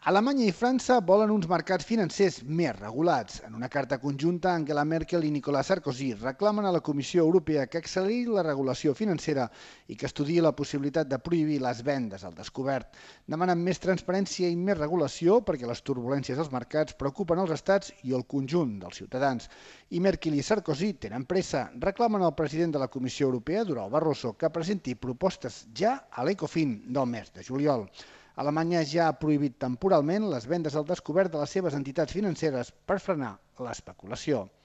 Alemanya i França volen uns mercats financers més regulats. En una carta conjunta, Angela Merkel i Nicolas Sarkozy reclamen a la Comissió Europea que acceleri la regulació financera i que estudiï la possibilitat de prohibir les vendes al descobert. Demanen més transparència i més regulació perquè les turbulències als mercats preocupen els estats i el conjunt dels ciutadans. I Merkel i Sarkozy tenen pressa. Reclamen al president de la Comissió Europea, Durão Barroso, que presenti propostes ja a l'Ecofin del mes de juliol. Alemanya ja ha prohibit temporalment les vendes al descobert de les seves entitats financeres per frenar l'especulació.